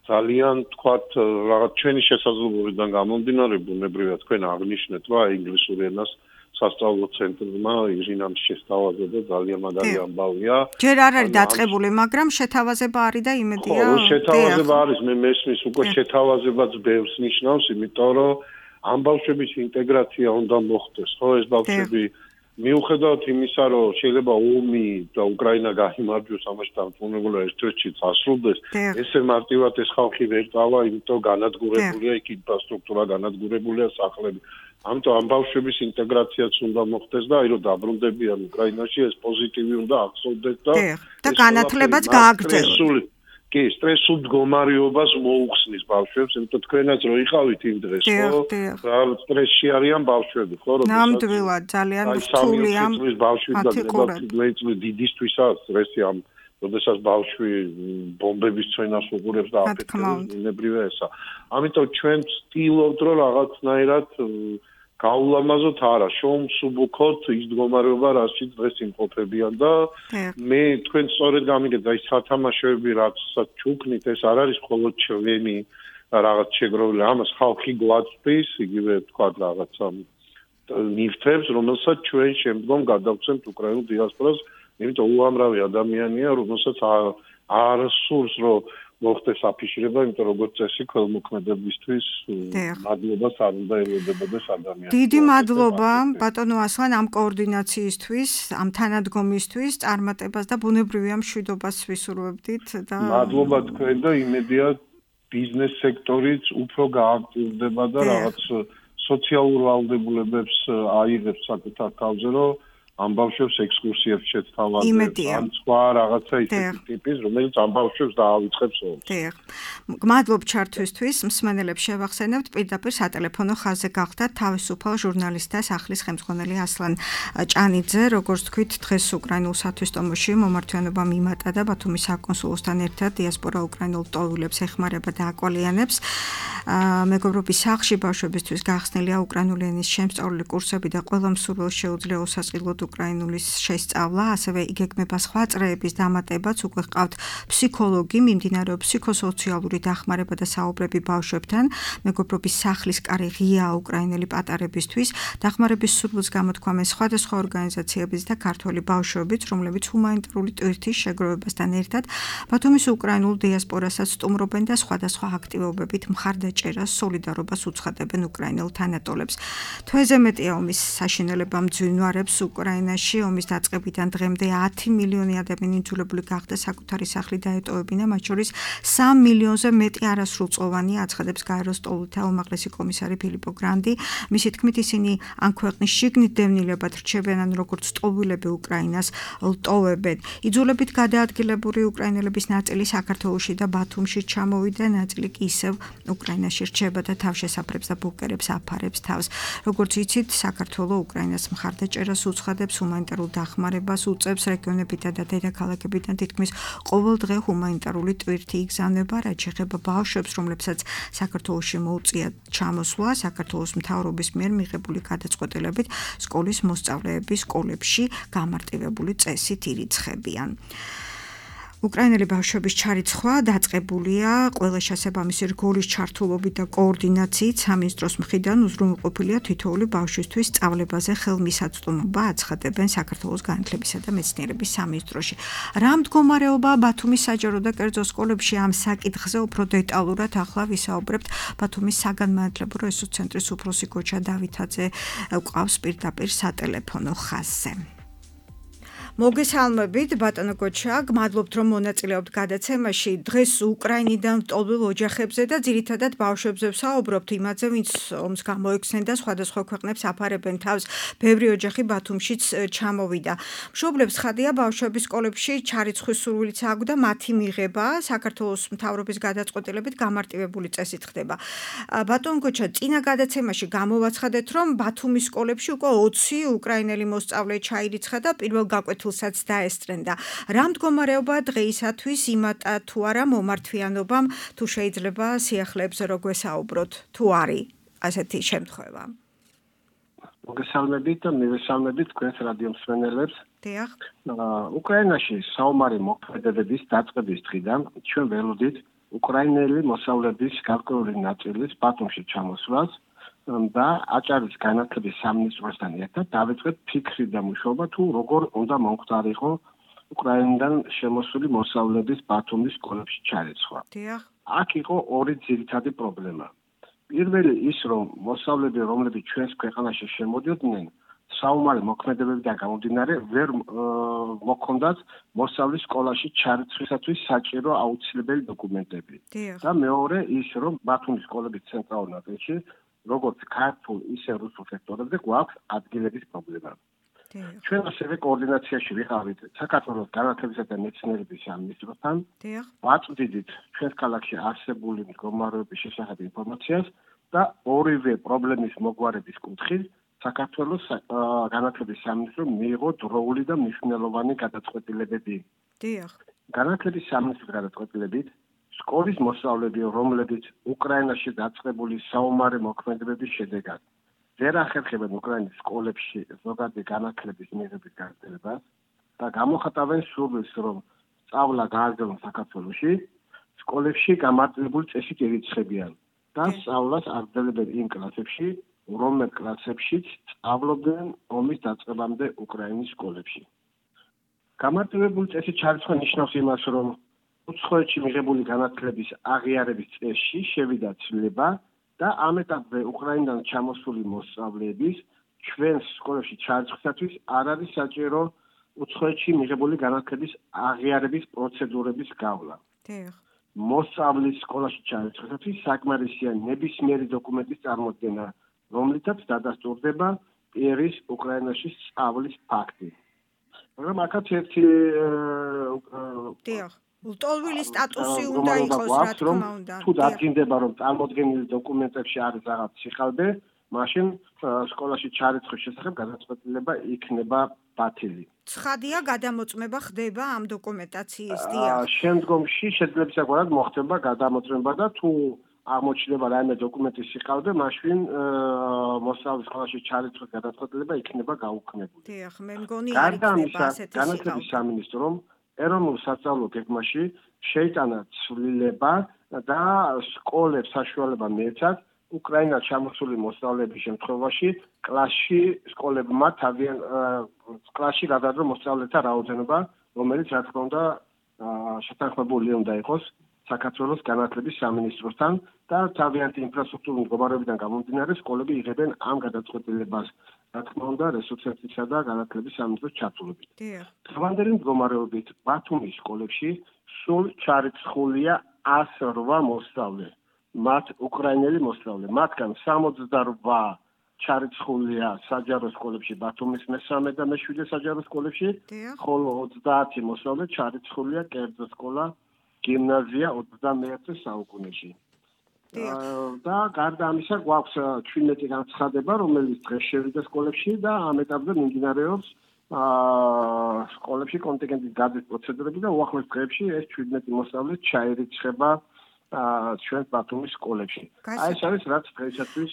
ძალიან თქვათ რაღაც ჩვენი შესაძლებლობიდან გამომდინარე, ბუნებრივია თქვენ აღნიშნეთ, რომ ინგლისური ენას სასწავლო ცენტრმა ირინამ შესთავაზა და ძალიან მაგარი ამბავია. ჯერ არ არის დაწყებული, მაგრამ შეთავაზება არის და იმედია. ხო, შეთავაზება არის, მე მესმის უკვე შეთავაზებაც ბევრს ნიშნავს, იმიტომ რომ ამ ბავშვების ინტეგრაცია უნდა მოხდეს, ხო, ეს ბავშვები მიუხედავად იმისა, რომ შეიძლება ომი და უკრაინა გაიმარჯვოს, ამაში დამწუნებულია ერთ-ერთი წასრულდეს, ესე მარტივად ეს ხალხი ვერ წავა, იმიტომ განადგურებულია იქ ინფრასტრუქტურა, განადგურებულია სახლები. ამიტომ ამ ბავშვების ინტეგრაციაც უნდა მოხდეს და აი რომ დაბრუნდებიან უკრაინაში ეს პოზიტივი უნდა ახსოვდეს და და განათლებაც გააგრძელოს. კი, სტრესულ მდგომარეობას მოუხსნის ბავშვებს, იმიტომ თქვენაც რო იყავით იმ დღეს, ხო? რა სტრესში არიან ბავშვები, ხო? ნამდვილად ძალიან რთულია ბავშვის და დიდისთვისაც სტრესი ამ როდესაც ბავშვი ბომბების წვენას უყურებს და აფეთქებს, ნებრივია ესა. ამიტომ ჩვენ ვცდილობთ რომ რაღაცნაირად გაულამაზოთ არა, შოუმსუბუქოთ ის მდგომარეობა, რასაც დღეს იმყოფებიან და მე თქვენ სწორედ გამიგეთ, აი სათამაშოები რაცაც ჩუქნით, ეს არ არის მხოლოდ ჩვენი რაღაც შეგროვილი, ამას ხალხი გვაწვდის, იგივე თქვა რაღაცა ნივთებს, რომელსაც ჩვენ შემდგომ გადავცემთ უკრაინულ დიასპორას, იმიტომ უამრავი ადამიანია, რომელსაც არ სურს რომ მოხდეს აფიშირება, იმიტომ როგორც წესი ქველმოქმედებისთვის მადლობას არ უნდა ელოდებოდეს ადამიანს. დიდი მადლობა ბატონო ასლან ამ კოორდინაციისთვის, ამ თანადგომისთვის, წარმატებას და ბუნებრივია მშვიდობას ვისურვებდით და მადლობა თქვენ და იმედია ბიზნეს სექტორიც უფრო გააქტიურდება და რაღაც სოციალურ ვალდებულებებს აიღებს საკუთარ თავზე, რომ ამ ბავშვებს ექსკურსიებს შეთავაზებს, ან სხვა რაღაცა ისეთი ტიპის, რომელიც ამ ბავშვებს დაავიწყებს ომს. დიახ. მადლობ ჩართვისთვის, მსმენელებს შევახსენებთ, პირდაპირ სატელეფონო ხაზზე გახდათ თავისუფალ ჟურნალისტთა სახლის ხელმძღვანელი ასლან ჭანიძე, როგორც თქვით, დღეს უკრაინულ სათვისტომოში მომართვიანობა მიმატა და ბათუმის საკონსულოსთან ერთად დიასპორა უკრაინულ ტოვულებს ეხმარება და აკვალიანებს. მეგობრობის სახლში ბავშვებისთვის გახსნილია უკრაინული ენის შემსწავლელი კურსები და ყველა მსურველს შეუძლია უსასყიდლოდ უკრაინულის შესწავლა, ასევე იგეგმება სხვა წრეების დამატებაც, უკვე ჰყავთ ფსიქოლოგი, მიმდინარეობს ფსიქოსოციალური დახმარება და საუბრები ბავშვებთან, მეგობრობის სახლის კარი ღიაა უკრაინელი პატარებისთვის, დახმარების სურვილს გამოთქვამენ სხვადასხვა ორგანიზაციებიც და ქართველი ბავშვებიც, რომლებიც ჰუმანიტარული ტვირთის შეგროვებასთან ერთად ბათუმის უკრაინულ დიასპორასაც სტუმრობენ და სხვადასხვა აქტივობებით მხარდაჭერას, სოლიდარობას უცხადებენ უკრაინელ თანატოლებს. თვეზე მეტია ომის საშინელებამ მძვინვარებს უკრაინაში, ომის დაწყებიდან დღემდე ათი მილიონი ადამიანი იძულებული გახდა საკუთარი სახლი დაეტოვებინა, მათ შორის სამ მილიონზე მეტი არასრულწლოვანი, აცხადებს გაეროს სტოლთა უმაღლესი კომისარი ფილიპო გრანდი. მისი თქმით, ისინი ან ქვეყნის შიგნით დევნილებად რჩებიან, ან როგორც სტოვილები უკრაინას ლტოვებენ. იძულებით გადაადგილებული უკრაინელების ნაწილი საქართველოში და ბათუმში ჩამოვიდა, ნაწილი კი ისევ უკრაინაში რჩება და თავშესაფრებს და ბუნკერებს აფარებს თავს. როგორც იცით, საქართველო უკრაინას მხარდაჭერას უცხადებს, ჰუმანიტარულ დახმარებას უწევს, რეგიონებიდან და დედაქალაქებიდან თითქმის ყოველ დღე ჰუმანიტარული ტვირთი იგზავნება, რაც შეეხება ბავშვებს, რომლებსაც საქართველოში მოუწიათ ჩამოსვლა, საქართველოს მთავრობის მიერ მიღებული გადაწყვეტილებით სკოლის მოსწავლეები სკოლებში გამარტივებული წესით ირიცხებიან. უკრაინელი ბავშვების ჩარიცხვა დაწყებულია ყველა შესაბამისი რგოლის ჩართულობით და კოორდინაციით სამინისტროს მხრიდან უზრუნველყოფილია თითოეული ბავშვისთვის სწავლებაზე ხელმისაწვდომობა, აცხადებენ საქართველოს განათლებისა და მეცნიერების სამინისტროში. რა მდგომარეობაა ბათუმის საჯარო და კერძო სკოლებში ამ საკითხზე უფრო დეტალურად ახლა ვისაუბრებთ ბათუმის საგანმანათლებლო რესურს ცენტრის უფროსი გოჩა დავითაძე ყავს პირდაპირ სატელეფონო ხაზზე. მოგესალმებით ბატონო გოჩა, გმადლობთ რომ მონაწილეობთ გადაცემაში. დღეს უკრაინიდან მტოლვილ ოჯახებზე და ძირითადად ბავშვებზე ვსაუბრობთ, იმაზე ვინც ომს გამოექცნენ და სხვადასხვა ქვეყნებს აფარებენ თავს. ბევრი ოჯახი ბათუმშიც ჩამოვიდა. მშობლებს ხადია ბავშვების სკოლებში ჩარიცხვის სურვილიც აქვს და მათი მიღება საქართველოს მთავრობის გადაწყვეტილებით გამარტივებული წესით ხდება. ბატონო გოჩა, წინა გადაცემაში გამოვაცხადეთ, რომ ბათუმის სკოლებში უკვე ოცი უკრაინელი მოსწავლე ჩაირიცხა და პირველ გაკვეთილ საც დაესწრენდა. რა მდგომარეობაა დღეისათვის, იმატა თუ არა მომართვიანობამ, თუ შეიძლება სიახლეებზე რო გვესაუბროთ, თუ არის ასეთი შემთხვევა. მოგესალმებით და მივესალმებით თქვენს რადიო მსმენელებს. დიახ. უკრაინაში საომარი მოქმედებების დაწყების დღიდან ჩვენ ველოდით უკრაინელი მოსავლების გარკვეული ნაწილის ბათუმში ჩამოსვლას და აჭარის განათლების სამინისტროსთან ერთად დავიწყეთ ფიქრი და მუშაობა თუ როგორ უნდა მომხდარიყო უკრაინიდან შემოსული მოსავლების ბათუმის სკოლებში ჩარიცხვა. აქ იყო ორი ძირითადი პრობლემა. პირველი ის, რომ მოსავლები, რომლებიც ჩვენს ქვეყანაში შემოდიოდნენ, საომარი მოქმედებებიდან გამომდინარე, ვერ მოქონდათ მოსავლის სკოლაში ჩარიცხვისათვის საჭირო აუცილებელი დოკუმენტები. და მეორე ის, რომ ბათუმის სკოლების ცენტრალურ ნაწილში როგორც ქართულ, ისე რუსულ სექტორებზე გვაქვს ადგილების პრობლემა. ჩვენ ასევე კოორდინაციაში ვიყავით საქართველოს განათლებისა და მეცნიერების სამინისტროსთან. ვაწვდიდით ჩვენს ქალაქში არსებული მდგომარეობის შესახებ ინფორმაციას და ორივე პრობლემის მოგვარების კუთხით საქართველოს განათლების სამინისტრო მიიღო დროული და მნიშვნელოვანი გადაწყვეტილებები. განათლების სამინისტრის გადაწყვეტილებით სკოლის მოსწავლეები, რომლებიც უკრაინაში დაწყებული საომარი მოქმედებების შედეგად ვერ ახერხებენ უკრაინის სკოლებში ზოგადი განათლების მიღების გაგრძელებას და გამოხატავენ სურვილს, რომ სწავლა გააგრძელონ საქართველოში, სკოლებში გამარტივებული წესით ირიცხებიან და სწავლას აგრძელებენ იმ კლასებში, რომელ კლასებშიც სწავლობდნენ ომის დაწყებამდე უკრაინის სკოლებში. გამარტივებული წესით ჩარიცხვა ნიშნავს იმას, რომ უცხოეთში მიღებული განათლების აღიარების წესში შევიდა ცვლილება და ამ ეტაპზე უკრაინიდან ჩამოსული მოსწავლეების ჩვენს სკოლებში ჩარიცხვისათვის არ არის საჭირო უცხოეთში მიღებული განათლების აღიარების პროცედურების გავლა. მოსწავლის სკოლაში ჩარიცხვისათვის საკმარისია ნებისმიერი დოკუმენტის წარმოდგენა, რომლითაც დადასტურდება პირის უკრაინაში სწავლის ფაქტი. მაგრამ აქაც ერთი ლტოლვილი სტატუსი უნდა იყოს, რა თქმა უნდა. თუ დადგინდება, რომ წარმოდგენილი დოკუმენტებში არის რაღაც სიხალბე, მაშინ სკოლაში ჩარიცხვის შესახებ გადაწყვეტილება იქნება ბათილი. ცხადია, გადამოწმება ხდება ამ დოკუმენტაციის. შემდგომში შეძლებისაგვარად მოხდება გადამოწმება და თუ აღმოჩნდება რაიმე დოკუმენტი სიყავდე, მაშინ მოსწავლის სკოლაში ჩარიცხვის გადაწყვეტილება იქნება გაუქმებული. დიახ, მე მგონი არ იქნება ასეთი სიყავდე. განათლების სამინისტრომ ეროვნულ სასწავლო გეგმაში შეიტანა ცვლილება და სკოლებს საშუალება მიეცათ უკრაინად ჩამოსული მოსწავლეების შემთხვევაში კლასში სკოლებმა თავიან კლასში გადაადრო მოსწავლეთა რაოდენობა, რომელიც რა თქმა უნდა შეთანხმებული უნდა იყოს საქართველოს განათლების სამინისტროსთან და თავიანთი ინფრასტრუქტურული მდგომარეობიდან გამომდინარე სკოლები იღებენ ამ გადაწყვეტილებას, რა თქმა უნდა, რესურსებისა და განათლების სამინისტროს ჩართულობით. დღევანდელი მდგომარეობით ბათუმის სკოლებში სულ ჩარიცხულია ას რვა მოსწავლე, მათ უკრაინელი მოსწავლე, მათგან სამოცდარვა ჩარიცხულია საჯარო სკოლებში ბათუმის მესამე და მეშვიდე საჯარო სკოლებში, ხოლო ოცდაათი მოსწავლე ჩარიცხულია კერძო სკოლა გიმნაზია ოცდამეერთე საუკუნეში. და გარდა ამისა გვაქვს ჩვიდმეტი განცხადება, რომელიც დღეს შევიდა სკოლებში და ამ ეტაპზე მიმდინარეობს სკოლებში კონტინგენტის გადის პროცედურები და უახლოეს დღეებში ეს ჩვიდმეტი მოსწავლე ჩაირიცხება ჩვენ ბათუმის სკოლებში. აი ეს არის რაც დღეისათვის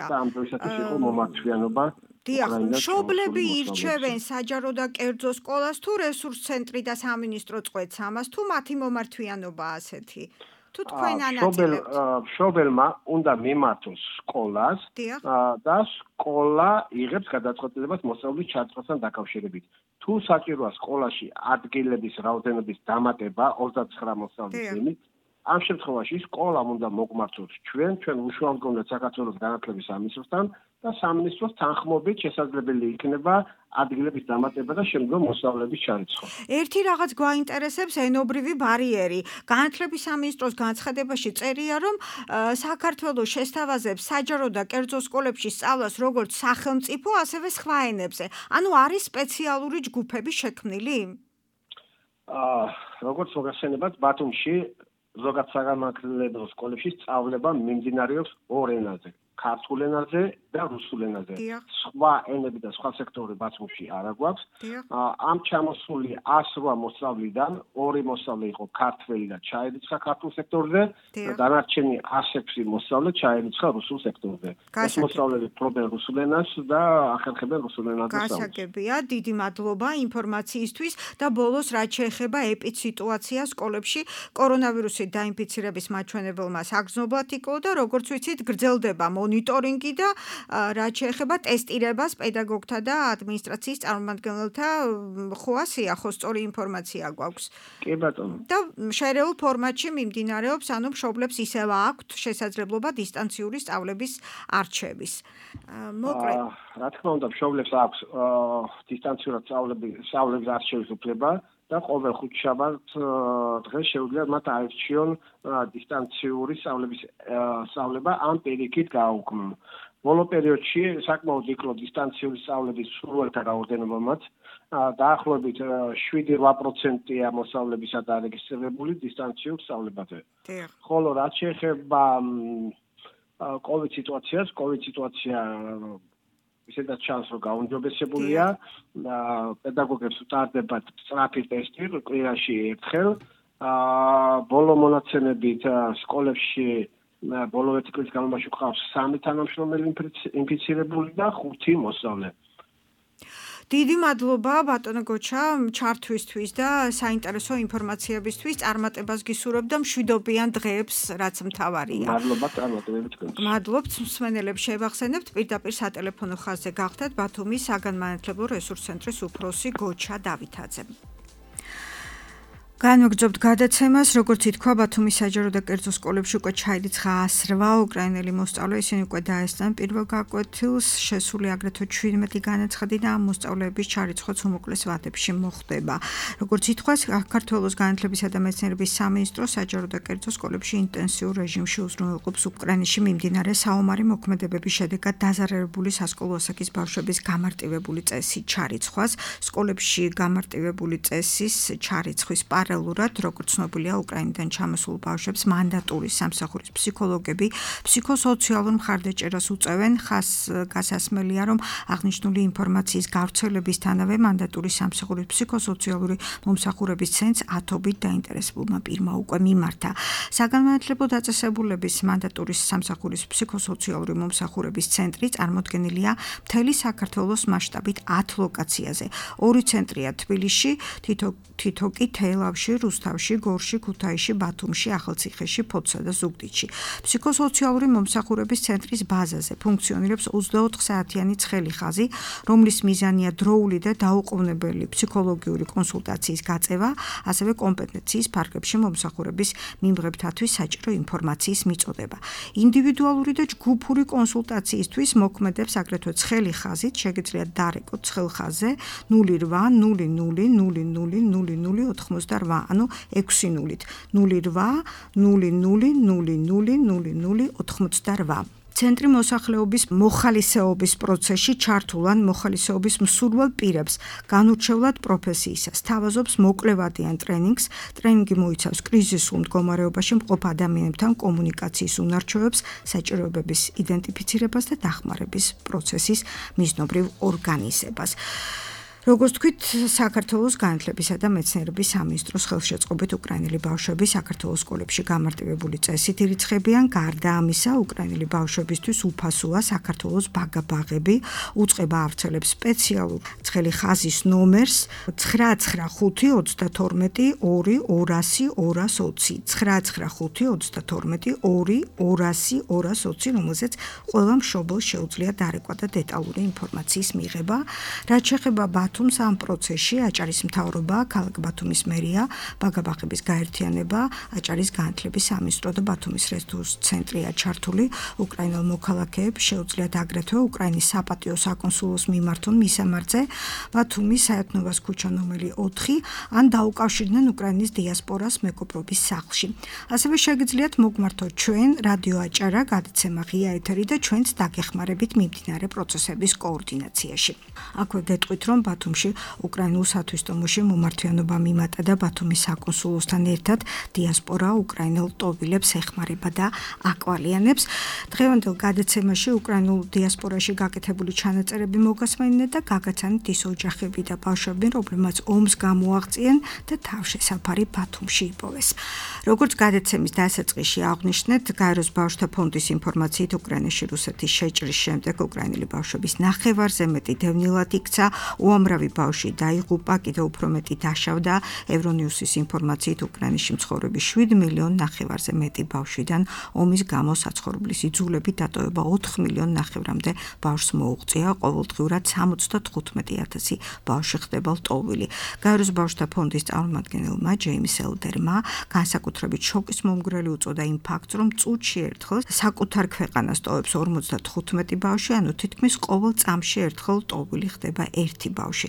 ამ დღეისათვის იყო მომართვიანობა. დიახ, მშობლები ირჩევენ საჯარო და კერძო სკოლას თუ რესურს центრი და სამინისტრო წყვეტს ამას თუ მათი მომართვიანობა ასეთი? თუ თქვენ ანაწილებთ? მშობელმა უნდა მიმართოს სკოლას და სკოლა იღებს გადაწყვეტილებას მოსწავლის ჩარიცხვასთან დაკავშირებით. თუ საჭიროა სკოლაში ადგილების რაოდენობის დამატება ოცდაცხრა მოსწავლის მიმართ, ამ შემთხვევაში სკოლამ უნდა მოგმართოს ჩვენ, ჩვენ უშუალოდ საქართველოს განათლების სამინისტროსთან და სამინისტროს თანხმობით შესაძლებელი იქნება ადგილების დამატება და შემდგომ მოსწავლეების ჩარიცხვა. ერთი რაღაც გვაინტერესებს ენობრივი ბარიერი. განათლების სამინისტროს განცხადებაში წერია, რომ საქართველოს შესთავაზებს საჯარო და კერძო სკოლებში სწავლას როგორც სახელმწიფო, ასევე სხვა ენებზე. ანუ არის სპეციალური ჯგუფები შექმნილი? აა, როგორც მოგახსენებათ, ბათუმში ზოგადად საგანმანათლებლო სკოლებში სწავლება მიმდინარეობს ორ ენაზე. ქართულ ენაზე და რუსულ ენაზე. სხვა ენები და სხვა სექტორები ბათუმში არ აგვაქვს. ამ ჩამოსული ას რვა მოსწავლიდან ორი მოსწავლე იყო ქართველი და ჩაირიცხა ქართულ სექტორზე და დანარჩენი ას ექვსი მოსწავლე ჩაირიცხა რუსულ სექტორზე. ეს მოსწავლეები ფლობენ რუსულ ენას და ახერხებენ რუსულ ენაზე სწავლას. გასაგებია, დიდი მადლობა ინფორმაციისთვის და ბოლოს რაც შეეხება ეპიდსიტუაციას სკოლებში კორონავირუსით დაინფიცირების მაჩვენებელმა საგრძნობლად იყო და როგორც ვიცით გრძელდება მონიტორინგი და რაც შეეხება ტესტირებას პედაგოგთა და ადმინისტრაციის წარმომადგენელთა ხო ასეა, ხო სწორი ინფორმაცია გვაქვს. კი ბატონო. და შერეულ ფორმატში მიმდინარეობს, ანუ მშობლებს ისევ აქვთ შესაძლებლობა დისტანციური სწავლების არჩევის. მოკლედ, რა თქმა უნდა, მშობლებს აქვს დისტანციურად სწავლების არჩევის უფლება. და ყოველ ხუთშაბათს დღეს შეუძლიათ მათ აირჩიონ დისტანციური სწავლების სწავლება ამ პირიქით გააუქმონ. ბოლო პერიოდში საკმაოდ იკლო დისტანციური სწავლების სრულთა რაოდენობამაც დაახლოებით შვიდი რვა პროცენტია მოსწავლებისა დარეგისტრირებული დისტანციურ სწავლებაზე. ხოლო რაც შეეხება კოვიდ სიტუაციას, კოვიდ სიტუაცია ისედაც ჩანს, რომ გაუმჯობესებულია, პედაგოგებს უტარდებათ სწრაფი ტესტი კვირაში ერთხელ. ბოლო მონაცემებით სკოლებში ბოლო ერთი წლის განმავლობაში გვყავს სამი თანამშრომელი ინფიცირებული და ხუთი მოსწავლე. დიდი მადლობა ბატონო გოჩა ჩართვისთვის და საინტერესო ინფორმაციებისთვის. წარმატებას გისურვებ და მშვიდობიან დღეებს, რაც მთავარია. მადლობა, წარმატებებით გქონდეთ. მადლობთ მსმენელებს შევახსენებთ პირდაპირ სატელეფონო ხაზზე გახდათ ბათუმის საგანმანათლებლო რესურს ცენტრის უფროსი გოჩა დავითაძე. განვაგრძობთ გადაცემას, როგორც ითქვა, ბათუმის საჯარო და კერძო სკოლებში უკვე ჩაირიცხა ას რვა უკრაინელი მოსწავლე, ისინი უკვე დაესწრნენ პირველ გაკვეთილს, შესული აგრეთვე ჩვიდმეტი განაცხადი და ამ მოსწავლეების ჩარიცხვაც უმოკლეს ვადებში მოხდება. როგორც ითქვა, საქართველოს განათლებისა და მეცნიერების სამინისტრო საჯარო და კერძო სკოლებში ინტენსიურ რეჟიმში უზრუნველყოფს უკრაინაში მიმდინარე საომარი მოქმედებების შედეგად დაზარალებული სასკოლო ასაკის ბავშვების გამარტივებული წესის ჩარიცხვას. სკოლებში გამარტივებული წესის ჩარიცხვის პარ გენერალურად, როგორც ცნობილია, უკრაინიდან ჩამოსულ ბავშვებს მანდატური სამსახურის ფსიქოლოგები ფსიქოსოციალურ მხარდაჭერას უწევენ. გასასმელია, რომ აღნიშნული ინფორმაციის გავრცელებისთანავე მანდატური სამსახურის ფსიქოსოციალური მომსახურების ცენტრს ათობით დაინტერესებულმა პირმა უკვე მიმართა. საგანმანათლებლო დაწესებულების მანდატური სამსახურის ფსიქოსოციალური მომსახურების ცენტრი წარმოდგენილია მთელი საქართველოს მასშტაბით ათ ლოკაციაზე. ორი ცენტრია თბილისში, თითო თითო კი თელავში, რუსთავში, გორში, ქუთაისში, ბათუმში, ახალციხეში, ფოთსა და ზუგდიდში. ფსიქოსოციალური მომსახურების ცენტრის ბაზაზე ფუნქციონირებს ოცდაოთხ საათიანი ცხელი ხაზი, რომლის მიზანია დროული და დაუყოვნებელი ფსიქოლოგიური კონსულტაციის გაწევა, ასევე კომპეტენციის ფარგლებში მომსახურების მიმღებთათვის საჭირო ინფორმაციის მიწოდება. ინდივიდუალური და ჯგუფური კონსულტაციისთვის მოქმედებს აგრეთვე ცხელი ხაზით, შეგიძლიათ დარეკოთ ცხელ ხაზზე ნული რვა ნული ნული ნული ნული ნული ნული ოთხმოცდარვა, ანუ ექვსი ნულით ნული რვა ნული ნული ნული ნული ნული ნული ოთხმოცდარვა. ცენტრი მოსახლეობის მოხალისეობის პროცესში ჩართულ ან მოხალისეობის მსურველ პირებს განურჩევლად პროფესიისას სთავაზობს მოკლევადიან ტრენინგს. ტრენინგი მოიცავს კრიზისულ მდგომარეობაში მყოფ ადამიანებთან კომუნიკაციის უნარჩვევებს, საჭიროებების იდენტიფიცირებას და დახმარების პროცესის მიზნობრივ ორგანიზებას. როგორც თქვით, საქართველოს განათლებისა და მეცნიერების სამინისტროს ხელშეწყობით უკრაინელი ბავშვები საქართველოს სკოლებში გამარტივებული წესით ირიცხებიან. გარდა ამისა, უკრაინელი ბავშვებისთვის უფასოა საქართველოს ბაგა-ბაღები, უწყება ავრცელებს სპეციალურ ცხელი ხაზის ნომერს ცხრა ცხრა ხუთი ოცდათორმეტი ორი ორასი ორას ოცი ცხრა ცხრა ხუთი ოცდათორმეტი ორი ორასი ორას ოცი, რომელზეც ყველა მშობელს შეუძლია დარეკვა და დეტალური ინფორმაციის მიღება. რაც შეეხება ბათუმს ამ პროცესში აჭარის მთავრობა, ქალაქ ბათუმის მერია, ბაგა-ბაღების გაერთიანება, აჭარის განათლების სამინისტრო და ბათუმის რესურს ცენტრია ჩართული. უკრაინელ მოქალაქეებს შეუძლიათ აგრეთვე უკრაინის საპატიო საკონსულოს მიმართონ მისამართზე ბათუმის საერთნობას ქუჩა ნომერი ოთხი ან დაუკავშირდნენ უკრაინის დიასპორას მეგობრობის სახლში. ასევე შეგიძლიათ მოგმართოთ ჩვენ რადიო აჭარა გადაცემა ღია ეთერი და ჩვენც დაგეხმარებით მიმდინარე პროცესების კოორდინაციაში. აქვე გეტყვით, რომ ბათუმში უკრაინულ სათვისტომოში მომართვიანობა მიმატა და ბათუმის საკონსულოსთან ერთად დიასპორა უკრაინელ ტოვილებს ეხმარება და აკვალიანებს. დღევანდელ გადაცემაში უკრაინულ დიასპორაში გაკეთებული ჩანაწერები მოგასმენინეთ და გაგაცანით ის ოჯახები და ბავშვები, რომლებმაც ომს გამოაღწიენ და თავშესაფარი ბათუმში იპოვეს. როგორც გადაცემის დასაწყისში აღვნიშნეთ, გაეროს ბავშვთა ფონდის ინფორმაციით უკრაინაში რუსეთის შეჭრის შემდეგ უკრაინელი ბავშვების ნახევარზე მეტი დევნილად იქცა, უამრავი ბავშვი დაიღუპა, კიდევ უფრო მეტი დაშავდა. ევრონიუსის ინფორმაციით უკრაინაში მცხოვრები შვიდ მილიონ ნახევარზე მეტი ბავშვიდან ომის გამო საცხოვრებლის იძულებით დატოვება ოთხ მილიონ ნახევრამდე ბავშვს მოუღწია. ყოველდღიურად სამოცდათხუთმეტი ათასი ბავშვი ხდება ლტოვილი. გაეროს ბავშვთა ფონდის წარმომადგენელმა ჯეიმს ელდერმა განსაკუთრებით შოკის მომგვრელი უწოდა იმ ფაქტს, რომ წუთში ერთხელ საკუთარ ქვეყანას ტოვებს ორმოცდათხუთმეტი ბავშვი, ანუ თითქმის ყოველ წამში ერთხელ ლტოვილი ხდება ერთი ბავშვი.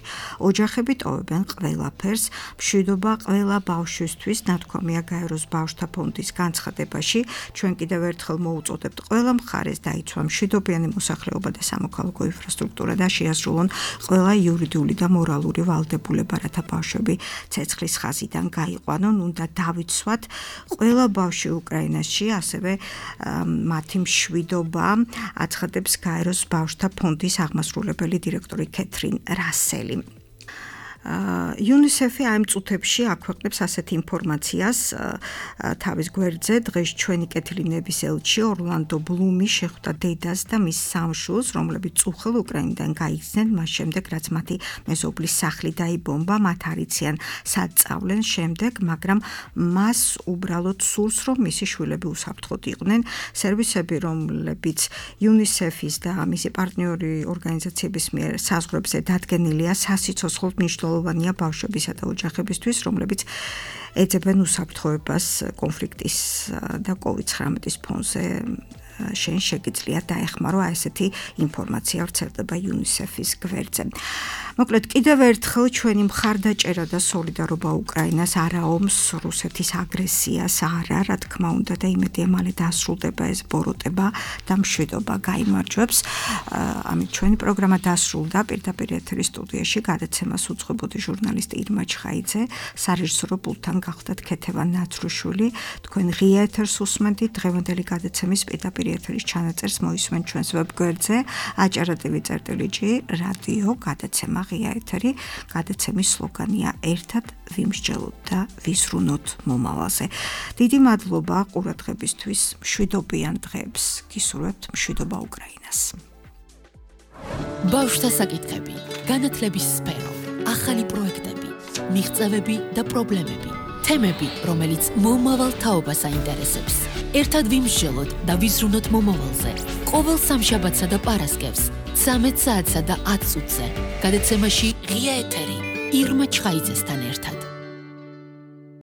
ოჯახები ტოვებენ ყველაფერს, მშვიდობა ყველა ბავშვისთვის, ნათქვამია გაეროს ბავშვთა ფონდის განცხადებაში. ჩვენ კიდევ ერთხელ მოუწოდებთ ყველა მხარეს დაიცვა მშვიდობიანი მოსახლეობა და სამოქალაქო ინფრასტრუქტურა და შეასრულონ ყველა იურიდიული და მორალური ვალდებულება, რათა ბავშვები ცეცხლის ხაზიდან გაიყვანონ. უნდა დავიცვათ ყველა ბავშვი უკრაინაში, ასევე მათი მშვიდობა, აცხადებს გაეროს ბავშვთა ფონდის აღმასრულებელი დირექტორი კეთრინ რასელი. იუნისეფი ამ წუთებში აქვეყნებს ასეთ ინფორმაციას თავის გვერდზე. დღეს ჩვენი კეთილინების ელჩი ორლანდო ბლუმი შეხვდა დედას და მის სამშვილს, რომლებიც წუხელ უკრაინიდან გაიქცნენ მას შემდეგ, რაც მათი მეზობლის სახლი დაიბომბა. მათ არიციან სად სწავლენ შემდეგ, მაგრამ მას უბრალოდ სურს, რომ მისი შვილები უსაფრთხოდ იყვნენ. სერვისები, რომლებიც იუნისეფის და მისი პარტნიორი ორგანიზაციების მიერ საზღვრებზე დადგენილია, სასიცოცხლოდ მნიშვნელოვანია ბავშვებისა და ოჯახებისთვის, რომლებიც ეძებენ უსაფრთხოებას კონფლიქტის და კოვიდ ცხრამეტის ფონზე შენ შეგიძლია დაეხმარო აი ესეთი ინფორმაცია ვრცელდება იუნისეფის გვერდზე. მოკლედ კიდევ ერთხელ ჩვენი მხარდაჭერა და სოლიდარობა უკრაინას არა ომს, რუსეთის აგრესიას არა, რა თქმა უნდა და იმედია მალე დასრულდება ეს ბოროტება და მშვიდობა გაიმარჯვებს. ამით ჩვენი პროგრამა დასრულდა. პირდაპირ ეთერის სტუდიაში გადაცემას უძღვებოდი ჟურნალისტი ირმა ჩხაიძე, სარეჟისორო პულტთან გახდათ ქეთევან ნაცრუშვილი. თქვენ ღია ეთერს უსმენთ. დღევანდელი გადაცემის პირდაპირ ეთერის ჩანაწერს მოისმენთ ჩვენს ვებგვერდზე aჭara.tv.gr რადიო გადაცემა ღია ეთერი. გადაცემის სლოგანია ერთად ვიმსჯელოთ და ვიზრუნოთ მომავალზე. დიდი მადლობა ყურადღებისთვის. მშვიდობიან დღეებს გისურვებთ. მშვიდობა უკრაინას. ბავშვთა საკითხები, განათლების სფერო, ახალი პროექტები, მიღწევები და პრობლემები, თემები, რომელიც მომავალ თაობას აინტერესებს. ერთად ვიმსჯელოთ და ვიზრუნოთ მომავალზე. ყოველ სამშაბათსა და პარასკევს, ცამეტ საათსა და ათ წუთზე. გადაცემაში ღია ეთერი ირმა ჩხაიძესთან ერთად.